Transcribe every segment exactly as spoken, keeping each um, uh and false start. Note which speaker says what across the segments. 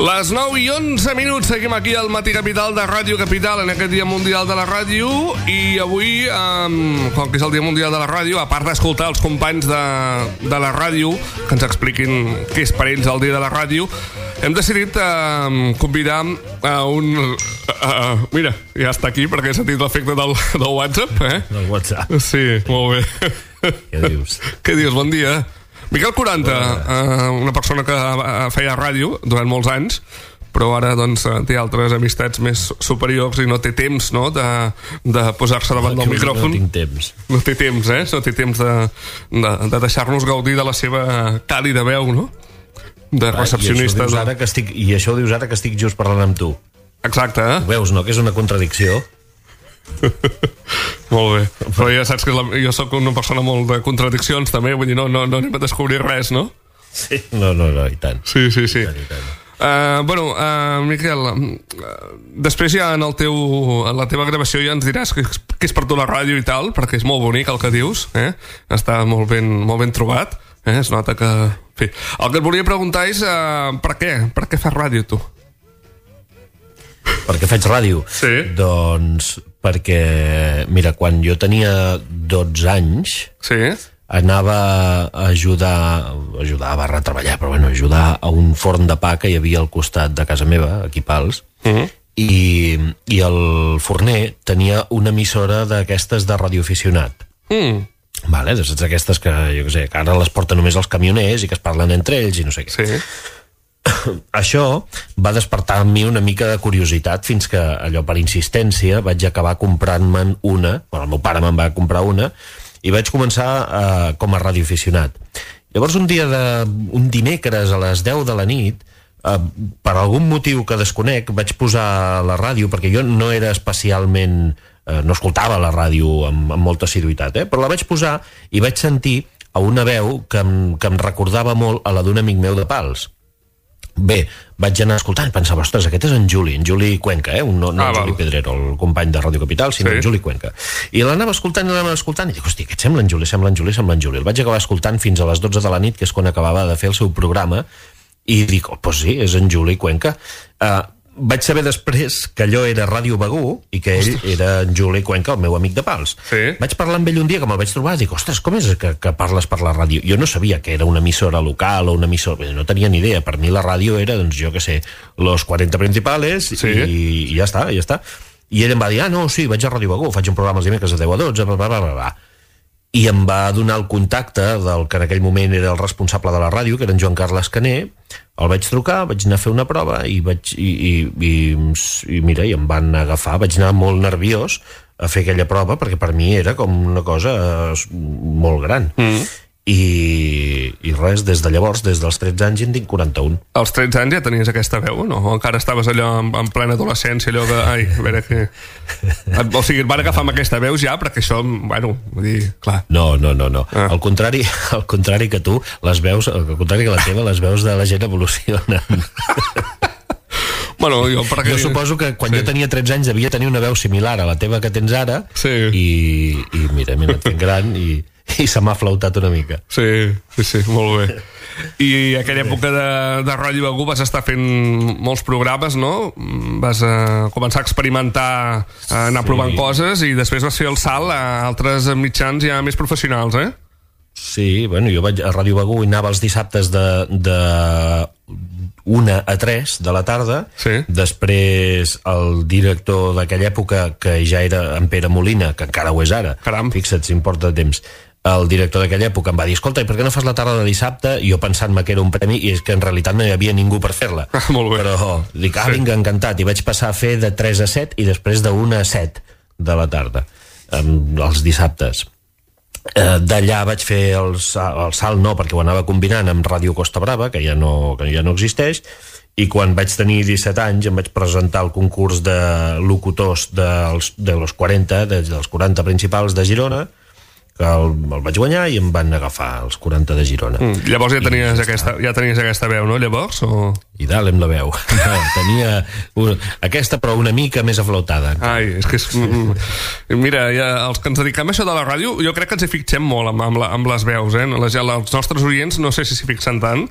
Speaker 1: Les nou i onze minuts, seguim aquí al Matí Capital de Ràdio Capital en aquest Dia Mundial de la Ràdio. I avui, um, com que és el Dia Mundial de la Ràdio, a part d'escoltar els companys de, de la ràdio que ens expliquin què és per ells el Dia de la Ràdio, hem decidit uh, convidar a un... Uh, mira, ja està aquí perquè he sentit l'efecte del, del WhatsApp, eh?
Speaker 2: Del WhatsApp.
Speaker 1: Sí, molt bé.
Speaker 2: Què dius?
Speaker 1: Què dius? Bon dia. Miquel quaranta, uh, una persona que feia ràdio durant molts anys, però ara doncs, té altres amistats més superiors i no té temps, no?, de, de posar-se davant del micròfon.
Speaker 2: No tinc temps.
Speaker 1: No té temps, eh? No té temps de, de, de deixar-nos gaudir de la seva càlida veu, no?, de recepcionista.
Speaker 2: I això, ara que estic, I això ho dius ara que estic just parlant amb tu.
Speaker 1: Exacte, eh?
Speaker 2: Ho veus, no?, que és una contradicció.
Speaker 1: Molt bé, però ja saps que la, jo sóc una persona molt de contradiccions també, vull dir, no, no, no anem a descobrir res, no?
Speaker 2: Sí, no, no, no, i tant.
Speaker 1: Sí, sí, sí.
Speaker 2: I tant, i tant.
Speaker 1: Uh, bueno, uh, Miquel, uh, després ja en, el teu, en la teva gravació ja ens diràs que, que és per tu la ràdio i tal, perquè és molt bonic el que dius, eh? Està molt ben, molt ben trobat, eh? Es nota que... En fi. El que et volia preguntar és uh, per què? Per què fas ràdio, tu?
Speaker 2: Per què faig ràdio?
Speaker 1: Sí.
Speaker 2: Doncs perquè, mira, quan jo tenia dotze anys,
Speaker 1: sí,
Speaker 2: anava a ajudar, ajudar barra treballar, però bueno, ajudar a un forn de pa que hi havia al costat de casa meva, aquí Pals, uh-huh. i, i el forner tenia una emissora d'aquestes de radioaficionat. Mm. Vale, de saps aquestes que, jo què sé, que ara les porten només els camioners i que es parlen entre ells i no sé què.
Speaker 1: Sí.
Speaker 2: Això va despertar en mi una mica de curiositat fins que allò per insistència vaig acabar comprant-me'n una, bueno, el meu pare me'n va comprar una i vaig començar eh, com a radioaficionat. Llavors un dia de, un dimecres a les deu de la nit, eh, per algun motiu que desconec, vaig posar la ràdio, perquè jo no era especialment, eh, no escoltava la ràdio amb, amb molta assiduïtat, eh, però la vaig posar i vaig sentir a una veu que em, que em recordava molt a la d'un amic meu de Pals. Bé, vaig anar escoltant i pensava, ostres, aquest és en Juli, en Juli Cuenca, eh? no, no ah, en Juli Pedrero, el company de Ràdio Capital, sinó sí. En Juli Cuenca. I l'anava escoltant i l'anava escoltant i dic, hosti, aquest sembla en Juli, sembla en Juli, sembla en Juli. El vaig acabar escoltant fins a les dotze de la nit, que és quan acabava de fer el seu programa, i dic, oh, doncs sí, és en Juli Cuenca. Uh, vaig saber després que allò era Ràdio Begú i que ell ostres. Era en Juli Cuenca, el meu amic de Pals. Sí. Vaig parlar amb ell un dia que me'l vaig trobar i dic, ostres, com és que, que parles per la ràdio? Jo no sabia que era una emissora local o una emissora... No tenia ni idea. Per mi la ràdio era, doncs jo què sé, los quaranta principales sí. i, i ja està, ja està. I ell em va dir, ah, no, sí, vaig a Ràdio Begú, faig un programa els dimecres de deu a dotze, bla, bla, bla, bla. I em va donar el contacte del que en aquell moment era el responsable de la ràdio, que era en Joan Carles Caner. El vaig trucar, vaig anar a fer una prova i, vaig, i, i, i, i mira, i em van agafar. Vaig anar molt nerviós a fer aquella prova perquè per mi era com una cosa molt gran. Mm. I, i res, des de llavors, des dels tretze anys en tinc quaranta-un.
Speaker 1: Als tretze anys ja tenies aquesta veu, no? O encara estaves allò en, en plena adolescència, allò de... Ai, a veure què... O sigui, et van agafar amb aquesta veu ja, perquè això, bueno, vull dir, clar...
Speaker 2: No, no, no, no. Ah. Al contrari, al contrari que tu, les veus, al contrari que la teva, les veus de la gent evolucionen.
Speaker 1: Bueno, jo, perquè...
Speaker 2: jo suposo que quan sí. jo tenia tretze anys devia tenir una veu similar a la teva que tens ara, sí. i, i mira, mira, et fent gran i... i se m'ha flautat una mica.
Speaker 1: Sí, sí, sí, molt bé. I aquella època de, de Ràdio Begú vas estar fent molts programes, no? Vas uh, començar a experimentar, a anar sí. provant coses i després vas fer el salt a altres mitjans ja més professionals, eh?
Speaker 2: Sí, bueno, jo vaig a Ràdio Begú i anava els dissabtes de, de una a tres de la tarda. Sí. Després el director d'aquella època, que ja era en Pere Molina, que encara ho és ara, caram, fixa't si em porta temps, el director d'aquella època em va dir, escolta, i per què no fas la tarda de dissabte? I jo pensant-me que era un premi, i és que en realitat no hi havia ningú per fer-la.
Speaker 1: Ah, molt bé.
Speaker 2: Però dic, ah, vinga, encantat. I vaig passar a fer de tres a set i després de una a set de la tarda, els dissabtes. Eh, d'allà vaig fer el, el salt, no, perquè ho anava combinant amb Ràdio Costa Brava, que ja no, que ja no existeix, i quan vaig tenir disset anys em vaig presentar al concurs de locutors dels, de los quaranta, dels quaranta principals de Girona, que el, el vaig guanyar i em van agafar els quaranta de Girona.
Speaker 1: Mm, llavors ja tenies, aquesta, ja tenies aquesta veu, no, llavors? O...
Speaker 2: I dalt la veu. No, tenia una, aquesta, però una mica més aflautada.
Speaker 1: Ai, és que és... Mira, ja, els que ens dediquem a això de la ràdio, jo crec que ens hi fixem molt amb, amb, la, amb les veus, eh? Les, els nostres oients no sé si s'hi fixen tant,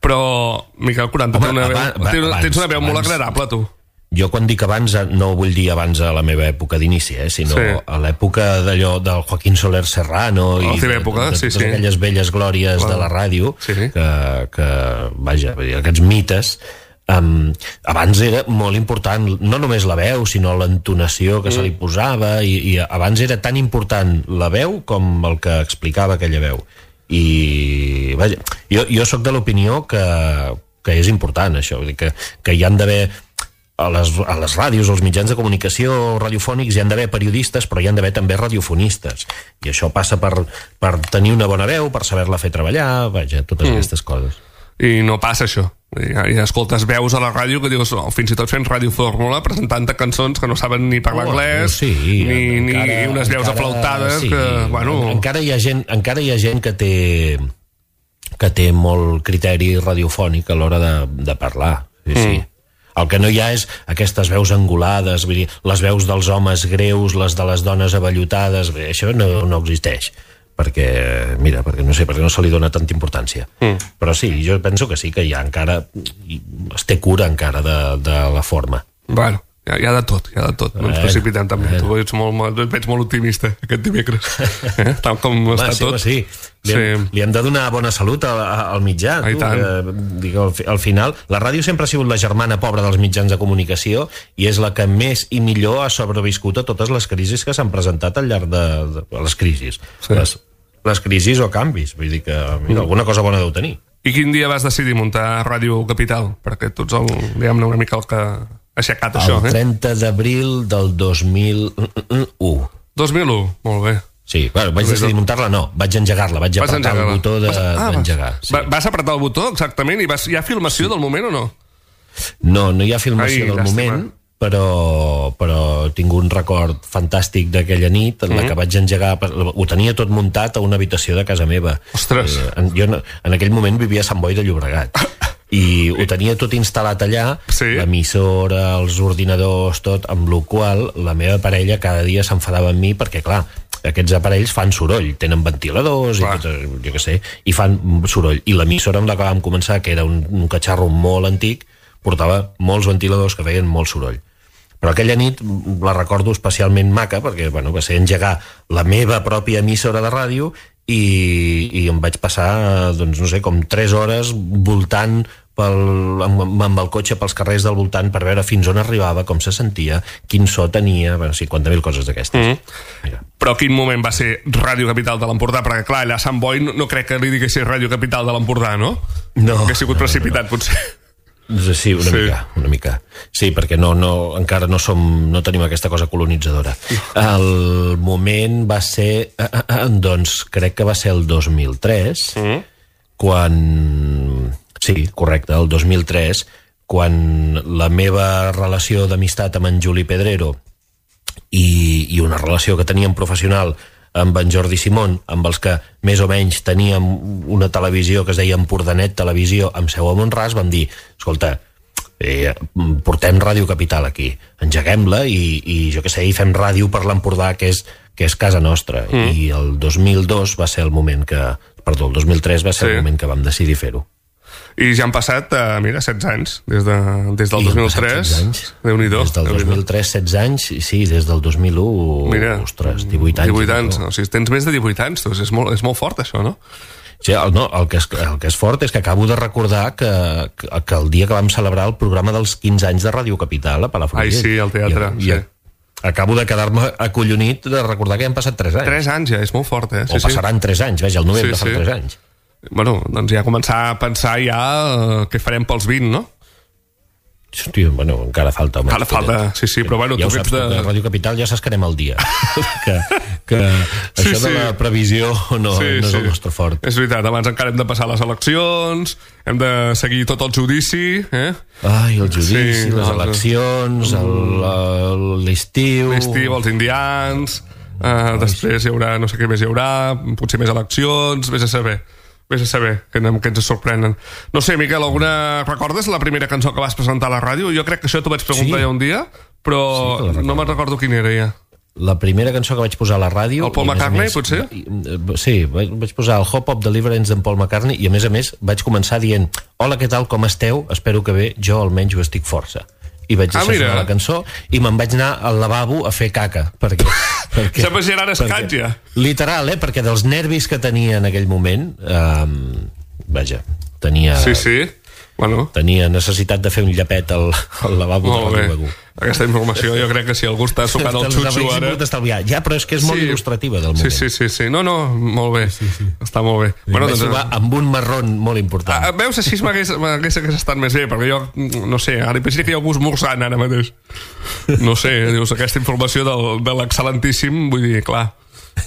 Speaker 1: però Miquel quaranta, Home, té una veu, abans, tens, abans, tens una veu abans, molt agradable, tu.
Speaker 2: Jo quan dic abans no vull dir abans a la meva època d'inici, eh, sinó sí. a l'època d'allò del Joaquín Soler Serrano i de,
Speaker 1: època,
Speaker 2: de, de,
Speaker 1: sí,
Speaker 2: totes
Speaker 1: sí.
Speaker 2: aquelles velles glòries wow. de la ràdio sí. que, que, vaja, aquests mites. Um, abans era molt important no només la veu, sinó l'entonació que mm. se li posava i, i abans era tan important la veu com el que explicava aquella veu. I vaja, jo, jo sóc de l'opinió que, que és important això, vull dir que, que hi han d'haver a les, a les ràdios, als mitjans de comunicació radiofònics hi han d'haver periodistes, però hi han d'haver també radiofonistes, i això passa per, per tenir una bona veu, per saber-la fer treballar, vaja, totes mm. aquestes coses.
Speaker 1: I no passa això. Hi, hi escoltes veus a la ràdio que dius, oh, fins i tot fent radiofórmula, presentant cançons que no saben ni parlar oh, anglès, sí, ni, encara, ni unes veus encara, aflautades sí, que, bueno...
Speaker 2: encara hi ha gent, encara hi ha gent que té que té molt criteri radiofònic a l'hora de, de parlar, sí, mm. sí. El que no hi ha és aquestes veus angulades, vull dir, les veus dels homes greus, les de les dones avellotades, bé, això no, no existeix. Perquè, mira, perquè no sé, perquè no se li dona tanta importància. Mm. Però sí, jo penso que sí, que hi ha encara, es té cura encara de, de la forma.
Speaker 1: Bueno, hi ha, hi ha de tot, hi ha de tot. No ens precipitem també. Tu ets molt, et veig molt optimista aquest dimecres. Eh? Tal com va, està
Speaker 2: sí,
Speaker 1: tot.
Speaker 2: Sí, li hem, sí. li hem de donar bona salut al, al mitjà.
Speaker 1: Ah,
Speaker 2: tu, que, dic, al, al final, la ràdio sempre ha sigut la germana pobra dels mitjans de comunicació i és la que més i millor ha sobreviscut a totes les crisis que s'han presentat al llarg de, de les crisis. Sí. Les, les crisis o canvis. Vull dir que mira, alguna cosa bona deu tenir.
Speaker 1: I quin dia vas decidir muntar Ràdio Capital? Perquè tu ets el, diguem-ne, una mica el que ha aixecat
Speaker 2: el
Speaker 1: això.
Speaker 2: El trenta eh? d'abril del dos mil u.
Speaker 1: dos mil u, molt bé.
Speaker 2: Sí, bueno, vaig decidir muntar-la, no, vaig engegar-la, vaig apretar engegar el botó de, ah, d'engegar.
Speaker 1: Sí. Vas apretar el botó, exactament, i vas, hi ha filmació sí. del moment o no?
Speaker 2: No, no hi ha filmació Ai, del llàstima. moment, però, però tinc un record fantàstic d'aquella nit en la mm-hmm. que vaig engegar, ho tenia tot muntat a una habitació de casa meva.
Speaker 1: Ostres!
Speaker 2: Eh, en, jo en aquell moment vivia a Sant Boi de Llobregat i ho tenia tot instal·lat allà, sí. l'emissora, els ordinadors, tot, amb la qual la meva parella cada dia s'enfadava amb mi perquè, clar, aquests aparells fan soroll, tenen ventiladors i tot, jo què sé, i fan soroll, i l'emissora amb la que vam començar, que era un, un catxarro molt antic, portava molts ventiladors que feien molt soroll. Però aquella nit la recordo especialment maca perquè, bueno, va ser engegar la meva pròpia emissora de ràdio i, i em vaig passar, doncs, no sé, com tres hores voltant pel, amb, amb el cotxe pels carrers del voltant per veure fins on arribava, com se sentia, quin so tenia, bueno, cinquanta mil coses d'aquestes.
Speaker 1: Mm-hmm. Però quin moment va ser Ràdio Capital de l'Empordà? Perquè, clar, allà a Sant Boi no, no crec que li diguessis Ràdio Capital de l'Empordà, no?
Speaker 2: No.
Speaker 1: Que ha sigut precipitat, no, no. potser.
Speaker 2: Sí, una sí. mica, una mica. Sí, perquè no, no, encara no som, no tenim aquesta cosa colonitzadora. El moment va ser, doncs, crec que va ser el dos mil tres, mm. quan... Sí, correcte, el dos mil tres, quan la meva relació d'amistat amb en Juli Pedrero i, i una relació que teníem professional amb en Jordi Simón, amb els que més o menys teníem una televisió que es deia Empordanet Televisió amb seu a Mont-ras, vam dir, escolta, eh, portem Ràdio Capital aquí, engeguem-la i, i jo què sé, i fem ràdio per l'Empordà, que és, que és casa nostra. Mm. I el dos mil dos va ser el moment que... Perdó, el dos mil tres va ser sí. el moment que vam decidir fer-ho.
Speaker 1: I ja han passat, uh, mira, setze anys, des, de, des del I dos mil tres. Déu-n'hi-do.
Speaker 2: Des del dos mil tres, setze anys, sí, des del dos mil u, mira, ostres, divuit anys.
Speaker 1: divuit anys, no? O sigui, tens més de divuit anys, doncs és molt, és molt fort, això, no?
Speaker 2: Sí, el, no, el, que és, el que és fort és que acabo de recordar que, que, que el dia que vam celebrar el programa dels quinze anys de Ràdio Capital a Palafrugell.
Speaker 1: Ai, sí, al teatre,
Speaker 2: I,
Speaker 1: sí.
Speaker 2: I acabo de quedar-me acollonit de recordar que han passat tres anys.
Speaker 1: tres anys ja, és molt fort, eh?
Speaker 2: Sí, o passaran tres anys, veja, el novembre sí, fa sí. tres anys.
Speaker 1: Bueno, doncs ja començar a pensar ja uh, què farem pels vint, no?
Speaker 2: Hòstia, bueno, encara falta.
Speaker 1: Encara falta, sí, sí, però bueno,
Speaker 2: ja
Speaker 1: tu
Speaker 2: saps,
Speaker 1: de...
Speaker 2: a Ràdio Capital ja saps que anem al dia. que que sí, això sí. de la previsió no, sí, no és sí. el nostre fort.
Speaker 1: És veritat, abans encara hem de passar les eleccions, hem de seguir tot el judici, eh?
Speaker 2: Ai, el judici, sí, les no, eleccions, l'estiu...
Speaker 1: L'estiu, els indians... uh, després hi haurà, no sé què més hi haurà, potser més eleccions, vés a saber. Vés a saber, que, que ens sorprenen. No sé, Miquel, alguna... recordes la primera cançó que vas presentar a la ràdio? Jo crec que això t'ho vaig preguntar sí. ja un dia, però sí, no me'n recordo quina era ja.
Speaker 2: La primera cançó que vaig posar a la ràdio...
Speaker 1: El Paul McCartney, més, potser?
Speaker 2: Sí, vaig posar el Hop of Deliverance d'en Paul McCartney i, a més a més, vaig començar dient hola, què tal, com esteu? Espero que bé, jo almenys ho estic força. I vaig deixar ah, la cançó i me'n vaig anar al lavabo a fer caca. Perquè... perquè
Speaker 1: Sembla Gerard Escat, ja.
Speaker 2: Literal, eh? Perquè dels nervis que tenia en aquell moment... Eh, vaja, tenia...
Speaker 1: Sí, sí. Bueno.
Speaker 2: Tenia necessitat de fer un llapet al, al lavabo de Ràdio Begur.
Speaker 1: Aquesta informació jo crec que si algú està sucant el xutxo ara...
Speaker 2: Ja, però és que és molt sí. il·lustrativa del moment.
Speaker 1: Sí, sí, sí, sí. No, no, molt bé. Sí, sí. Està molt bé.
Speaker 2: I bueno, doncs... amb un marrón molt important.
Speaker 1: Ah, veus, així m'hagués estat més bé, perquè jo, no sé, ara imagina que hi ha algú esmorzant ara mateix. No sé, dius, aquesta informació del, de l'excel·lentíssim, vull dir, clar...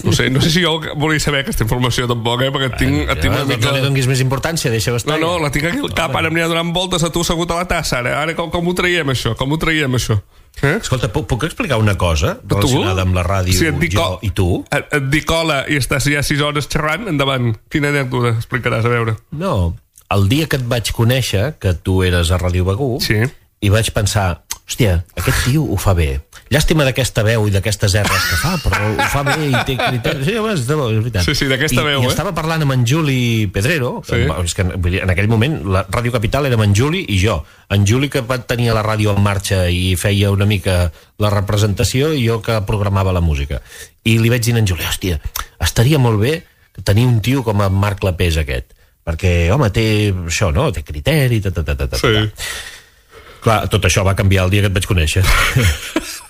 Speaker 1: No sé, no sé si jo volia saber aquesta informació tampoc, eh? Perquè tinc,
Speaker 2: ja, tinc una mica... No li donguis més importància, deixa-ho estar.
Speaker 1: No, no, la tinc aquí al cap, ara em anirà donant voltes a tu assegut a la tassa, ara. Ara com, com ho traiem, això? Com ho traiem, això? Eh?
Speaker 2: Escolta, puc, puc explicar una cosa relacionada amb la ràdio, sí, dic, jo i tu?
Speaker 1: Et, et dic hola i estàs ja sis hores xerrant, endavant. Quina anècdota explicaràs, a veure?
Speaker 2: No, el dia que et vaig conèixer, que tu eres a Ràdio Begur,
Speaker 1: sí.
Speaker 2: i vaig pensar, hòstia, aquest tio ho fa bé. Llàstima d'aquesta veu i d'aquestes erres que fa, però ho fa bé i té criteris. Sí, és veritat.
Speaker 1: Sí, sí, d'aquesta
Speaker 2: I,
Speaker 1: veu,
Speaker 2: I
Speaker 1: eh?
Speaker 2: estava parlant amb en Juli Pedrero, sí. és que en aquell moment la Ràdio Capital era amb en Juli i jo. En Juli que tenia la ràdio en marxa i feia una mica la representació i jo que programava la música. I li vaig dir a en Juli, hòstia, estaria molt bé tenir un tio com en Marc Lapés aquest, perquè, home, té això, no? Té criteri, ta, ta, ta, ta, ta. Sí. Clar, tot això va canviar el dia que et vaig conèixer.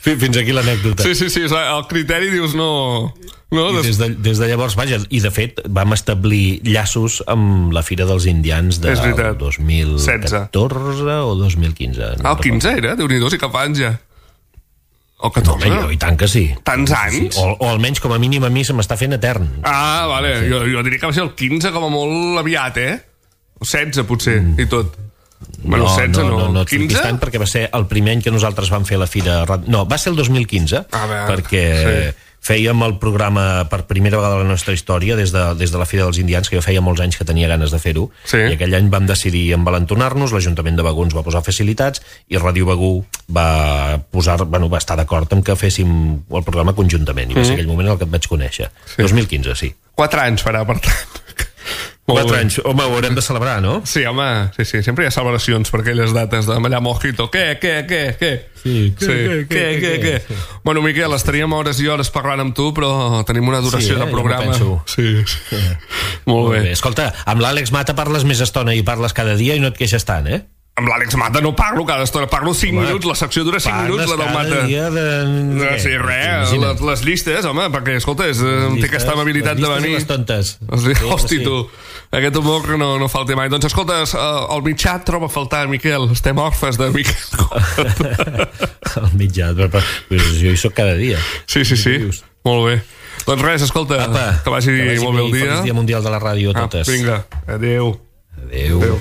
Speaker 2: Fins aquí l'anècdota.
Speaker 1: Sí, sí, sí, el criteri dius no... no
Speaker 2: I des, de, des de llavors, vaja, i de fet vam establir llaços amb la Fira dels Indians del dos mil catorze o dos mil quinze.
Speaker 1: No ah, el quinze era? Déu-n'hi-do, sí que fa anys ja. O catorze?
Speaker 2: No, home, i tant que sí.
Speaker 1: Tants anys?
Speaker 2: Sí, o, o almenys com a mínim a mi se m'està fent etern.
Speaker 1: Ah, vale, sí. jo, jo diria que va ser el quinze com a molt aviat, eh? O setze, potser, mm. i tot. Bueno,
Speaker 2: no,
Speaker 1: setze,
Speaker 2: no, no, no, no
Speaker 1: quinze?
Speaker 2: Tant perquè va ser el primer any que nosaltres vam fer la fira... No, va ser el dos mil quinze, ah, perquè sí. fèiem el programa per primera vegada a la nostra història des de, des de la Fira dels Indians, que jo feia molts anys que tenia ganes de fer-ho, sí. i aquell any vam decidir envalentonar-nos, l'Ajuntament de Begur ens va posar facilitats i Ràdio Begur va posar, bueno, va estar d'acord amb que féssim el programa conjuntament, i va ser aquell moment en el que et vaig conèixer. Sí. dos mil quinze, sí.
Speaker 1: Quatre anys farà, per tant.
Speaker 2: Quatre anys, home, ho haurem de celebrar, no?
Speaker 1: Sí, home, sí, sí, sempre hi ha celebracions per aquelles dates de mallar mojito. Què, què, què, què?
Speaker 2: Sí, què, sí. què, què, què, què, què?
Speaker 1: Sí. Bueno, Miquel, estaríem hores i hores parlant amb tu, però tenim una duració sí, eh? de programa. Sí, sí. sí. Molt, Molt bé. bé.
Speaker 2: Escolta, amb l'Àlex Mata parles més estona i parles cada dia i no et queixes tant, eh?
Speaker 1: Amb l'Àlex Mata no parlo cada estona, parlo cinc home, minuts, la secció dura cinc minuts, la del Mata.
Speaker 2: De...
Speaker 1: No, sí, res, les, les llistes, home, perquè, escolta, és, llistes, té aquesta amabilitat de venir.
Speaker 2: Les tontes.
Speaker 1: Sí, hosti, sí. tu, aquest humor que no, no falta mai. Doncs, escolta, el mitjà troba a faltar, Miquel, estem orfes de Miquel.
Speaker 2: El mitjà, però jo hi soc cada dia.
Speaker 1: Sí, sí, sí, molt bé. Doncs res, escolta, Apa, que vagi, que vagi molt bé el dia.
Speaker 2: Feliç dia mundial de la ràdio a totes.
Speaker 1: Ah, vinga, adéu.
Speaker 2: Adéu. Adéu.